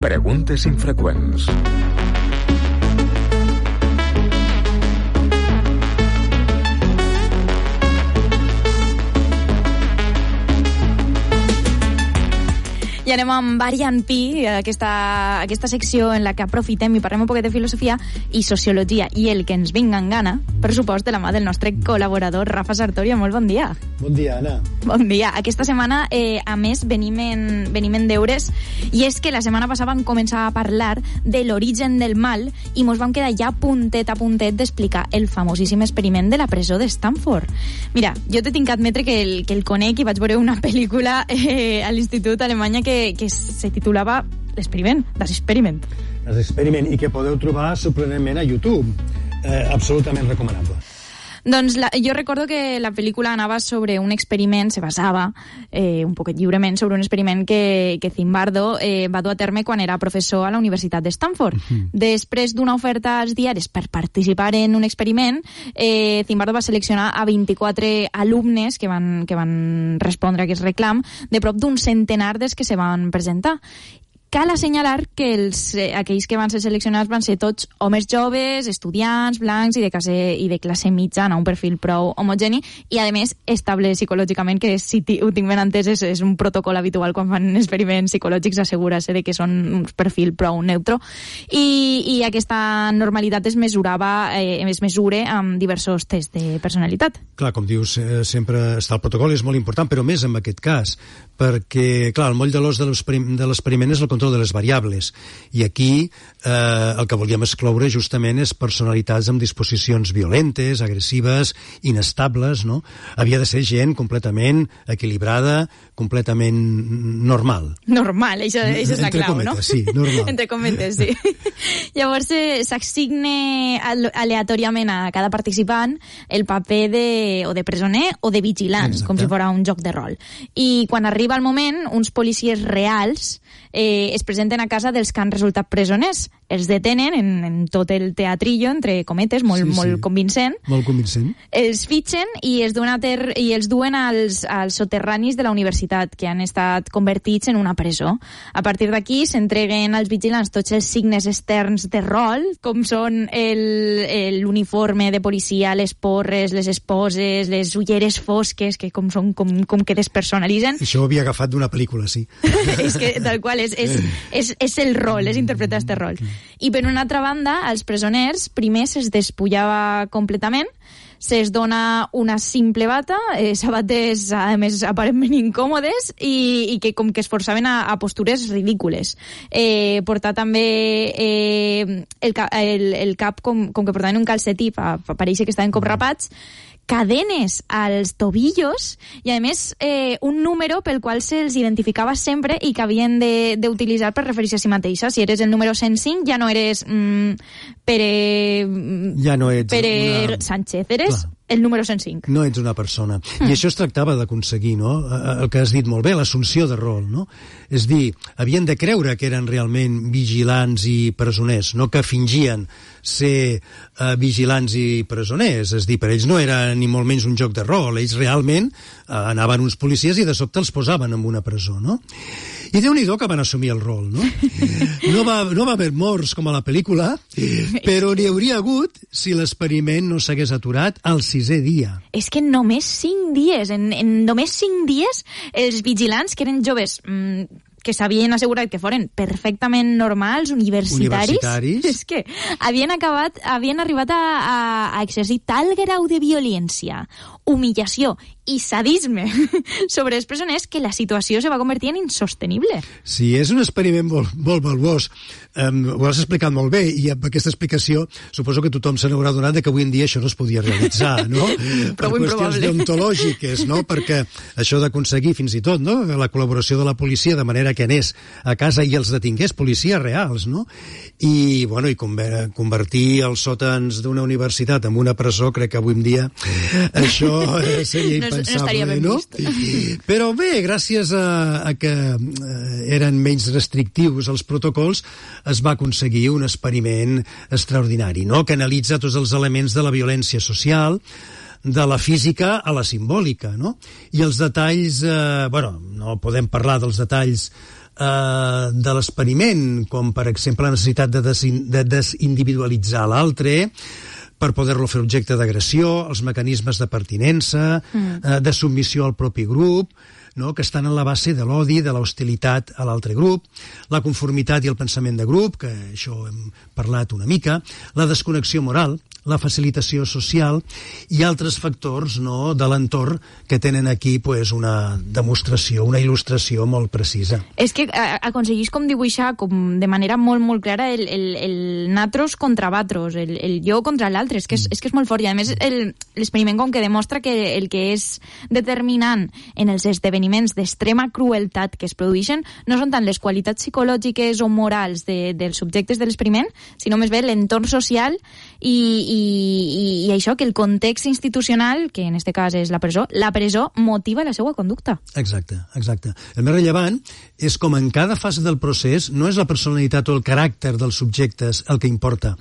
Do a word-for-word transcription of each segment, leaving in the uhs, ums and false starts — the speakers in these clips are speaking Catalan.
Preguntes infreqüents. I anem amb Variant Pi, aquesta, aquesta secció en la que aprofitem i parlem un poquet de filosofia i sociologia i el que ens vinga en gana, per supost, de la mà del nostre col·laborador Rafa Sartoria. Molt bon dia. Bon dia, Anna. Bon dia. Aquesta setmana, eh, a més, venim en, venim en deures, i és que la setmana passada vam començar a parlar de l'origen del mal i mos vam quedar ja puntet a puntet d'explicar el famosíssim experiment de la presó de Stanford. Mira, jo te tinc que admetre que el, que el conec i vaig veure una pel·lícula eh, a l'Institut Alemanya que que se titulava L'Experiment, Das Experiment. Das Experiment, i que podeu trobar sorprenentment a YouTube. Eh, absolutament recomanable. Doncs la, jo recordo que la pel·lícula anava sobre un experiment, se basava eh, un poquet lliurement sobre un experiment que, que Zimbardo eh, va dur a terme quan era professor a la Universitat de Stanford. Uh-huh. Després d'una oferta als diaris per participar en un experiment, eh, Zimbardo va seleccionar a vint-i-quatre alumnes que van, que van respondre a aquest reclam, de prop d'un centenar dels que se van presentar. Cal assenyalar que els, eh, aquells que van ser seleccionats van ser tots homes joves, estudiants, blancs i de classe, i de classe mitjana, un perfil prou homogeni, i a més estable psicològicament, que si ho tinc ben entès és, és un protocol habitual quan fan experiments psicològics, assegurar-se de que són un perfil prou neutro, i, i aquesta normalitat es mesurava, eh, es mesure amb diversos tests de personalitat. Clar, com dius, eh, sempre està el protocol, és molt important, però més en aquest cas, perquè, clar, el moll de l'os de l'experiment és el control de les variables, i aquí eh, el que volíem excloure justament és personalitats amb disposicions violentes, agressives, inestables, no? Havia de ser gent completament equilibrada, completament normal. Normal, això, això és la Entre clau, cometes, no? sí, normal. Entre cometes, sí. Llavors eh, s'assigna aleatòriament a cada participant el paper de, o de presoner o de vigilant, Exacte. Com si fos un joc de rol. I quan arriba el moment, uns policies reals eh, es presenten a casa dels que han resultat presoners. Els detenen en, en tot el teatrillo, entre cometes, molt, sí, sí. molt convincent. Molt convincent. Els fitxen i els duen, a ter, i els duen als, als soterranis de la universitat, que han estat convertits en una presó. A partir d'aquí s'entreguen als vigilants tots els signes externs de rol, com són l'uniforme de policia, les porres, les esposes, les ulleres fosques, que com, són, com, com que despersonalitzen. Això ho havia agafat d'una pel·lícula, sí. És que, tal qual, és, és, és, és el rol, és interpretar este rol. I per una altra banda, als presoners primer se'ls despullava completament, se'ls dona una simple bata, eh, sabates a més aparentment incòmodes i, i que com que es forçaven a, a postures ridícules. Eh, portar també eh, el, el, el cap com, com que portaven un calcetí pa, pa pareixer que estaven com rapats, cadenes als tobillos i, a més, eh, un número pel qual se'ls identificava sempre i que havien d'utilitzar per referir-se a si mateixa. Si eres el número cent cinc, ja no eres mm, Pere, ja no ets Pere una... Sánchez, eres Clar. El número cent cinc. No ets una persona. Mm. I això es tractava d'aconseguir, no? El que has dit molt bé, l'assumpció de rol, no? És dir, havien de creure que eren realment vigilants i presoners, no que fingien ser uh, vigilants i presoners. És dir, per ells no era ni molt menys un joc de rol. Ells realment uh, anaven uns policies i de sobte els posaven en una presó, no? I Déu-n'hi-do que van assumir el rol, no? No va, no va haver morts com a la pel·lícula, però n'hi hauria hagut si l'experiment no s'hagués aturat al sisè dia. És que només cinc dies, en, en només cinc dies, els vigilants, que eren joves mmm, que s'havien assegurat que foren perfectament normals, universitaris, universitaris. És que havien acabat, havien arribat a, a, a exercir tal grau de violència, humillació i sadisme sobre els presoners que la situació se va convertir en insostenible. Sí, és un experiment molt, molt valuós. Um, ho has explicat molt bé i amb aquesta explicació suposo que tothom se n'haurà donat que avui en dia això no es podia realitzar, no? Prou per qüestions deontològiques, no? Perquè això d'aconseguir fins i tot, no? La col·laboració de la policia de manera que anés a casa i els detingués, policies reals, no? I, bueno, i convertir els sòtans d'una universitat en una presó, crec que avui en dia això seria impensable, no? no? Però bé, gràcies a, a que eren menys restrictius els protocols, es va aconseguir un experiment extraordinari, no? Que analitza tots els elements de la violència social, de la física a la simbòlica, no? I els detalls, eh, bueno, no podem parlar dels detalls eh, de l'experiment, com per exemple la necessitat de, desin, de desindividualitzar l'altre, per poder-lo fer objecte d'agressió, els mecanismes de pertinença, mm. eh, de submissió al propi grup, no? Que estan en la base de l'odi, de l'hostilitat a l'altre grup, la conformitat i el pensament de grup, que això hem parlat una mica, la desconnexió moral, la facilitació social i altres factors, no, de l'entorn que tenen aquí pues, una demostració, una il·lustració molt precisa. És que aconseguís com dibuixar com de manera molt, molt clara el, el, el natros contra vatros, el, el jo contra l'altre. És, que és, és que és molt fort. I a més l'experiment com que demostra que el que és determinant en els esdeveniments d'extrema crueltat que es produeixen no són tant les qualitats psicològiques o morals de, dels subjectes de l'experiment, sinó més bé l'entorn social i I, i, i això, que el context institucional, que en este cas és la presó, la presó motiva la seva conducta. Exacte, exacte. El més rellevant és com en cada fase del procés no és la personalitat o el caràcter dels subjectes el que importa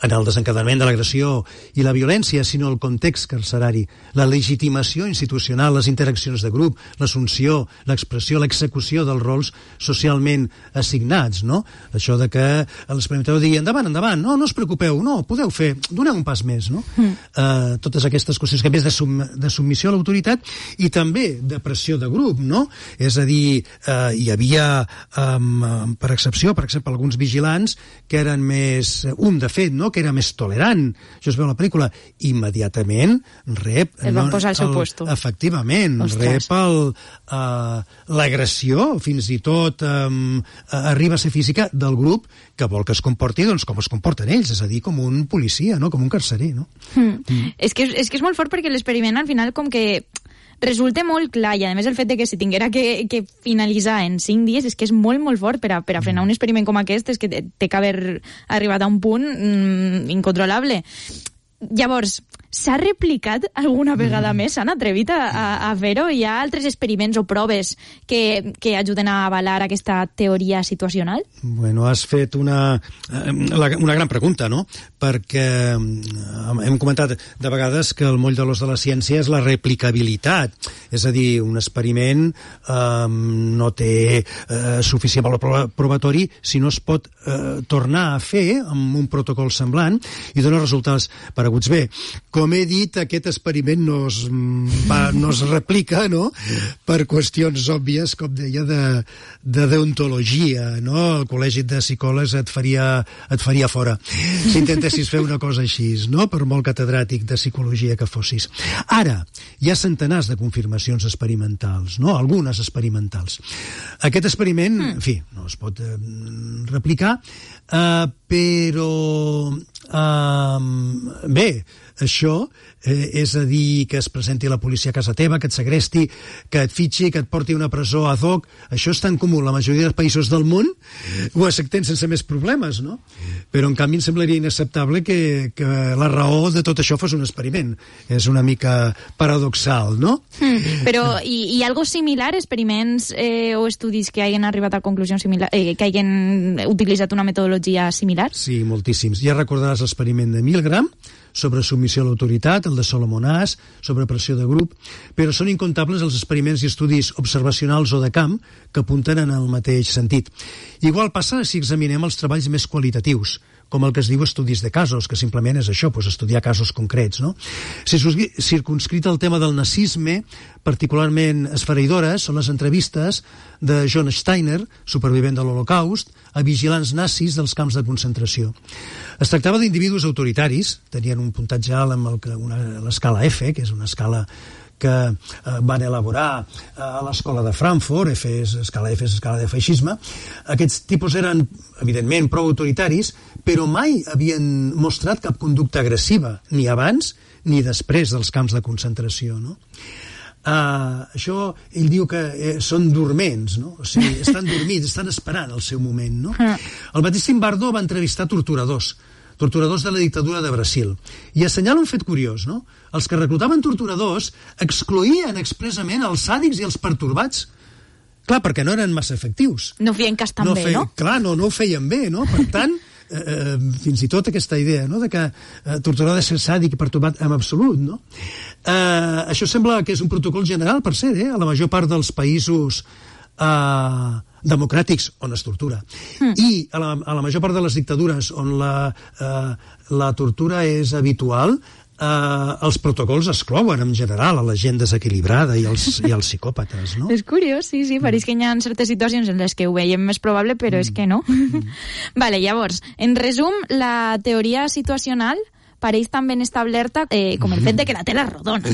en el desencadenament de l'agressió i la violència, sinó el context carcerari, la legitimació institucional, les interaccions de grup, l'assumpció, l'expressió, l'execució dels rols socialment assignats, no? Això de que l'experimentador digui endavant, endavant, no, no us preocupeu, no, podeu fer, doneu un pas més, no? Mm. Uh, totes aquestes qüestions que a més de, sum, de submissió a l'autoritat i també de pressió de grup, no? És a dir, uh, hi havia, um, per excepció, per exemple, alguns vigilants que eren més, un de fet, no?, que era més tolerant, això es veu a la pel·lícula, immediatament rep... Es van no, posar al seu puesto. Efectivament, Ostres. rep el, uh, l'agressió, fins i tot um, arriba a ser física del grup que vol que es comporti doncs, com es comporten ells, és a dir, com un policia, no? Com un carcerer, no? Mm. Mm. És, que, és que és molt fort perquè l'experiment al final com que resulta molt clar, i a més el fet de que si tinguera que, que finalitzar en cinc dies és que és molt, molt fort per a, per a frenar un experiment com aquest, és que té que haver arribat a un punt mm, incontrolable. Llavors, s'ha replicat alguna vegada mm. més? S'han atrevit a, a, a fer-ho? Hi ha altres experiments o proves que, que ajuden a avalar aquesta teoria situacional? Bueno, has fet una, una gran pregunta, no? Perquè hem comentat de vegades que el moll de l'os de la ciència és la replicabilitat. És a dir, un experiment eh, no té eh, suficient valor probatori si no es pot eh, tornar a fer amb un protocol semblant i dona resultats pareguts. Bé, com he dit, aquest experiment no es, va, no es replica, no?, per qüestions òbvies, com deia, de, de deontologia, no? El col·legi de psicòlegs et faria, et faria fora si intentessis fer una cosa així, no?, per molt catedràtic de psicologia que fossis. Ara, hi ha centenars de confirmacions experimentals, no?, algunes experimentals. Aquest experiment, en fi, no es pot eh, replicar, eh, però eh, bé, això eh, és a dir que es presenti la policia a casa teva, que et segresti, que et fitxi, que et porti a una presó ad hoc. Això és tan comú en la majoria dels països del món, ho acceptem sense més problemes, no? Però en canvi em semblaria inacceptable que, que la raó de tot això fos un experiment. És una mica paradoxal, no? Mm, però hi, hi ha algo similar, experiments eh, o estudis que hagin arribat a conclusions similars, eh, que hagin utilitzat una metodologia similar? Sí, moltíssims. Ja recordaràs l'experiment de Milgram sobre submissió a l'autoritat, el de Solomon Asch, sobre pressió de grup, però són incontables els experiments i estudis observacionals o de camp que apunten en el mateix sentit. Igual passa si examinem els treballs més qualitatius, com el que es diu estudis de casos, que simplement és això, doncs estudiar casos concrets, no? Si circunscrit el tema del nazisme, particularment esfereïdores són les entrevistes de John Steiner, supervivent de l'Holocaust, a vigilants nazis dels camps de concentració. Es tractava d'individus autoritaris, tenien un puntatge alt amb l'escala F, que és una escala que eh, van elaborar eh, a l'escola de Frankfurt, F és escala F és escala de feixisme. Aquests tipus eren, evidentment, prou autoritaris, però mai havien mostrat cap conducta agressiva, ni abans ni després dels camps de concentració, no? Uh, això, ell diu que eh, són dorments, no? O sigui, estan dormits, estan esperant el seu moment, no? El mateix Zimbardo va entrevistar torturadors, torturadors de la dictadura de Brasil, i assenyala un fet curiós, no? Els que reclutaven torturadors excloïen expressament els sàdics i els pertorbats. Clar, perquè no eren massa efectius. No feien cas tan no bé, fe... no? Clar, no, no ho feien bé, no? Per tant, eh, fins i tot aquesta idea, no?, de que eh, torturar ha de ser sàdic i pertorbat en absolut, no? Eh, això sembla que és un protocol general, per cert, eh? A la major part dels països uh, democràtics on es tortura. Mm. I a la, a la major part de les dictadures on la, uh, la tortura és habitual, uh, els protocols exclouen en general a la gent desequilibrada i els, i els psicòpates, no? És curiós, sí, sí, pareix que hi ha certes situacions en les que ho veiem més probable, però mm. és que no. Mm. Vale, llavors, en resum, la teoria situacional pareix tan ben establerta eh, com el fet de que la Terra és rodona.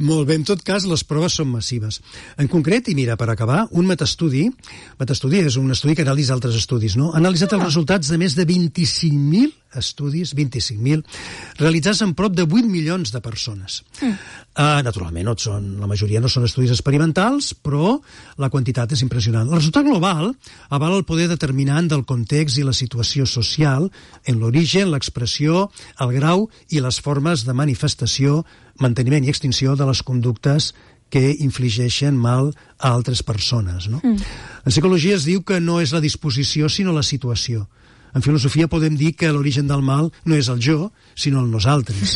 Molt bé, en tot cas, les proves són massives. En concret, i mira, per acabar, un metastudi, metastudi és un estudi que analitza altres estudis, no? Ha analitzat ah. els resultats de més de vint-i-cinc mil estudis, vint-i-cinc mil, realitzats en prop de vuit milions de persones. Mm. Uh, naturalment, no són, la majoria no són estudis experimentals, però la quantitat és impressionant. El resultat global avala el poder determinant del context i la situació social en l'origen, l'expressió, el grau i les formes de manifestació, manteniment i extinció de les conductes que infligeixen mal a altres persones, no? Mm. En psicologia es diu que no és la disposició, sinó la situació. En filosofia podem dir que l'origen del mal no és el jo, sinó el nosaltres.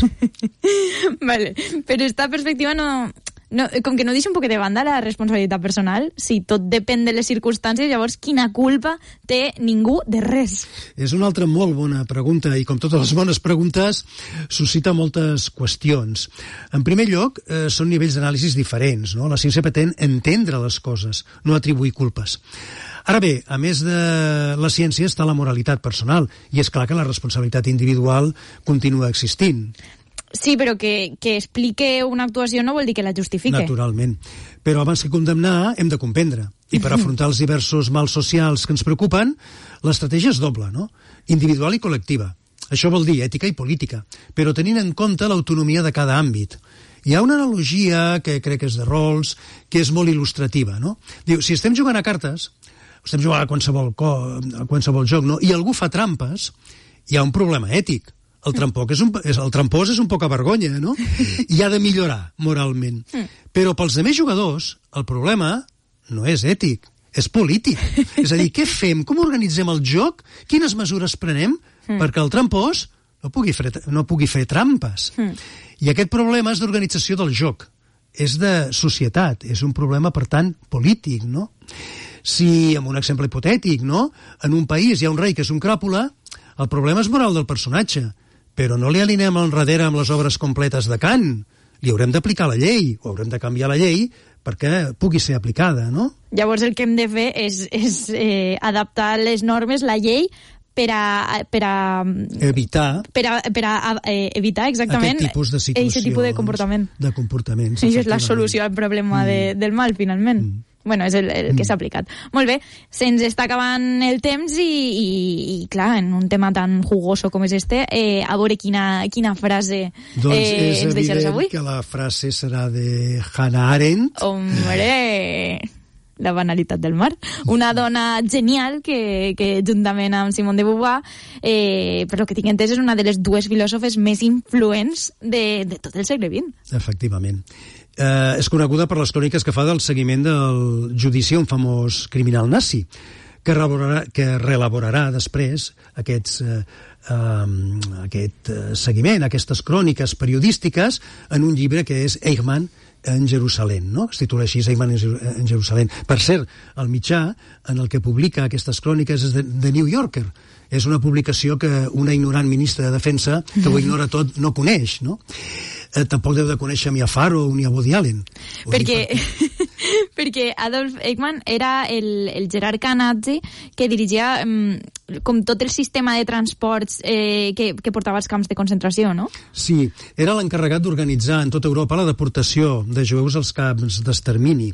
Vale, però esta perspectiva no... No, com que no deixa un poc de banda la responsabilitat personal, si tot depèn de les circumstàncies, llavors quina culpa té ningú de res? És una altra molt bona pregunta i com totes les bones preguntes suscita moltes qüestions. En primer lloc, eh, són nivells d'anàlisis diferents, no? La ciència pretén entendre les coses, no atribuir culpes. Ara bé, a més de la ciència està la moralitat personal i és clar que la responsabilitat individual continua existint. Sí, però que, que explique una actuació no vol dir que la justifique. Naturalment. Però abans que condemnar hem de comprendre. I per afrontar els diversos mals socials que ens preocupen, l'estratègia és doble, no? Individual i col·lectiva. Això vol dir ètica i política, però tenint en compte l'autonomia de cada àmbit. Hi ha una analogia que crec que és de rols, que és molt il·lustrativa, no? Diu, si estem jugant a cartes, estem jugant a qualsevol, co- a qualsevol joc, no? I algú fa trampes, hi ha un problema ètic. El trampós és un, és, el trampós és un poca vergonya, no? I ha de millorar moralment. Però pels altres jugadors, el problema no és ètic, és polític. És a dir, què fem? Com organitzem el joc? Quines mesures prenem perquè el trampós no pugui fer, no pugui fer trampes? I aquest problema és d'organització del joc. És de societat, és un problema, per tant, polític, no? Si, amb un exemple hipotètic, no? En un país hi ha un rei que és un cràpula, el problema és moral del personatge. Però no li alinem enrere amb les obres completes de Kant. Li haurem d'aplicar la llei, o haurem de canviar la llei perquè pugui ser aplicada, no? Llavors el que hem de fer és, és eh, adaptar les normes, la llei, per a... Per a evitar... Per a, per a eh, evitar, exactament, aquest tipus de situacions, aquest tipus de comportament. De comportaments. Això és la solució al problema mm. de, del mal, finalment. Mm. Bueno, és el, el que s'ha aplicat. Molt bé, se'ns està acabant el temps i, i, i clar, en un tema tan jugoso com és este, eh, a veure quina, quina frase doncs eh, ens deixaràs avui. Doncs és evident que la frase serà de Hannah Arendt. Hombre, la banalitat del mar. Una dona genial que, que juntament amb Simone de Beauvoir, eh, per lo que tinc entès, és una de les dues filòsofes més influents de, de tot el segle vint. Efectivament. Eh, és coneguda per les cròniques que fa del seguiment del judici a un famós criminal nazi, que reelaborarà, que reelaborarà després aquests, eh, eh, aquest seguiment, aquestes cròniques periodístiques en un llibre que és Eichmann en Jerusalem, no? Es titula així, Eichmann en Jerusalem. Per cert, el mitjà en el que publica aquestes cròniques és de, de New Yorker. És una publicació que una ignorant ministra de Defensa, que ho ignora tot, no coneix, no? Eh, tampoc deu de conèixer ni a Faro ni a Woody Allen. Perquè, perquè Adolf Eichmann era el, el jerarca nazi que dirigia um, com tot el sistema de transports eh, que, que portava als camps de concentració, no? Sí, era l'encarregat d'organitzar en tota Europa la deportació de jueus als camps d'extermini.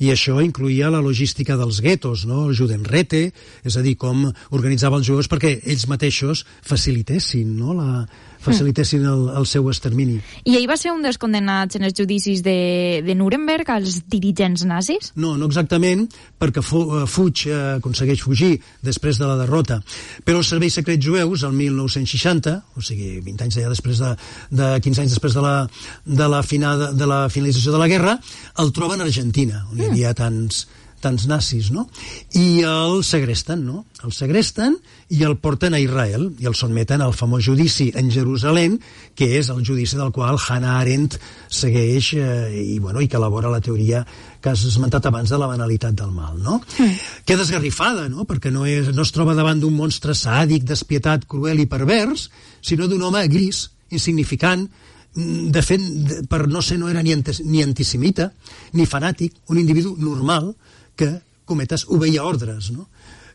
I això incluïa la logística dels guetos, no? El Judenräte, és a dir, com organitzava els jueus perquè ells mateixos facilitessin, no? La, facilitessin el, el seu extermini. I ell va ser un dels condemnats en els judicis de, de Nuremberg, als dirigents nazis? No, no exactament, perquè fu, fuig, eh, aconsegueix fugir després de la derrota. Però els serveis secrets jueus, el mil nou-cents seixanta, o sigui, vint anys ja després de, de quinze anys després de la, de la, final, de la finalització de la guerra, el troben a Argentina, on hi havia tants, tants nazis, no? I el segresten, no? El segresten i el porten a Israel i el sotmeten al famós judici en Jerusalem, que és el judici del qual Hannah Arendt segueix eh, i, bueno, i que elabora la teoria que has esmentat abans de la banalitat del mal, no? Mm. Queda esgarrifada, no? Perquè no, és, no es troba davant d'un monstre sàdic, despietat, cruel i pervers, sinó d'un home gris, insignificant, de fet, per no ser no era ni, anti, ni antisemita, ni fanàtic, un individu normal que, cometes, obeïa ordres, no?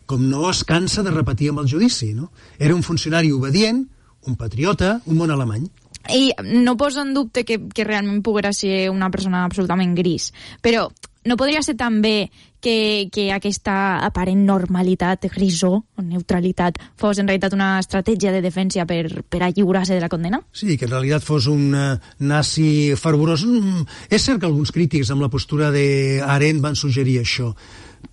Com no es cansa de repetir amb el judici, no? Era un funcionari obedient, un patriota, un món alemany. I no poso en dubte que, que realment poguera ser una persona absolutament gris, però no podria ser també que, que aquesta aparent normalitat, grisó o neutralitat, fos en realitat una estratègia de defensa per, per alliurar-se de la condena? Sí, que en realitat fos un uh, nazi fervorós. Mm, és cert que alguns crítics amb la postura d'Arendt van suggerir això,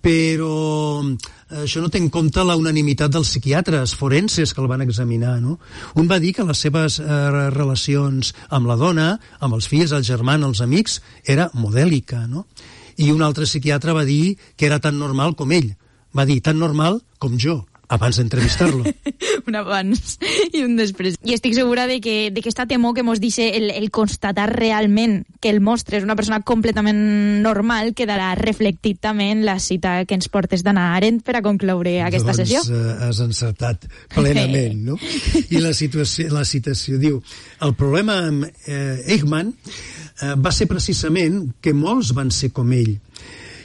però això no té en compte la unanimitat dels psiquiatres forenses que el van examinar, no? Un va dir que les seves eh, relacions amb la dona, amb els fills, el germà, els amics, era modèlica, no? I un altre psiquiatre va dir que era tan normal com ell. Va dir, tan normal com jo, abans d'entrevistar-lo. Un abans i un després. I estic segura de que, de que esta temor que mos dice el, el constatar realment que el monstre és una persona completament normal quedarà reflectit també en la cita que ens portes d'Hannah Arendt per a concloure aquesta doncs, sessió. Doncs uh, has encertat plenament, no? I la, situació, la citació diu, el problema amb eh, Eichmann eh, va ser precisament que molts van ser com ell,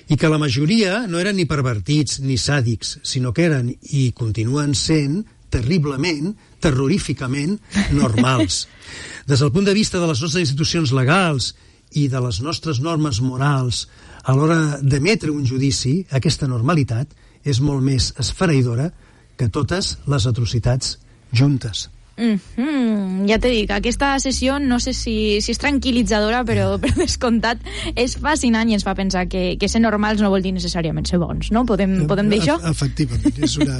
i que la majoria no eren ni pervertits ni sàdics, sinó que eren i continuen sent terriblement, terroríficament normals. Des del punt de vista de les nostres institucions legals i de les nostres normes morals, a l'hora d'emetre un judici, aquesta normalitat és molt més esfereïdora que totes les atrocitats juntes. Mm-hmm. Ja t'he dit, aquesta sessió no sé si, si és tranquil·litzadora, però per descomptat és fascinant i ens fa pensar que, que ser normals no vol dir necessàriament ser bons, no? Podem, podem dir això? Efectivament, és una,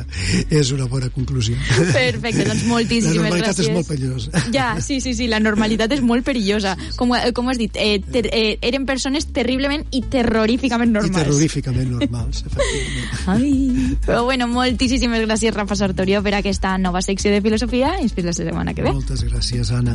és una bona conclusió. Perfecte, doncs moltíssimes gràcies. La normalitat gràcies. És molt perillosa. Ja, sí, sí, sí, la normalitat és molt perillosa. Com, com has dit, eh, ter, eh, eren persones terriblement i terroríficament normals. I terroríficament normals, efectivament. Ai. Però bueno, moltíssimes gràcies, Rafa Sartorio, per aquesta nova secció de filosofia i fins la setmana que ve. Moltes gràcies, Anna.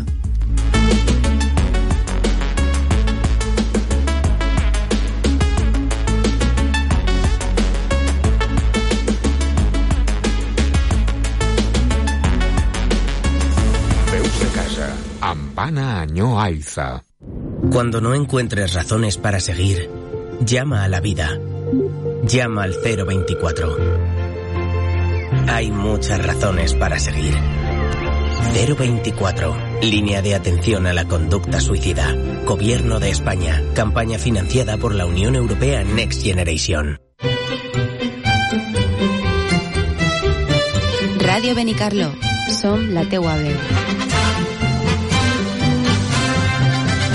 Veus de casa, amb Anna Añó Aiza. Cuando no encuentres razones para seguir, llama a la vida. Llama al cero veinticuatro. Hay muchas razones para seguir. cero veinticuatro. Línea de atención a la conducta suicida. Gobierno de España. Campaña financiada por la Unión Europea Next Generation. Ràdio Benicarló. Som la teua veu.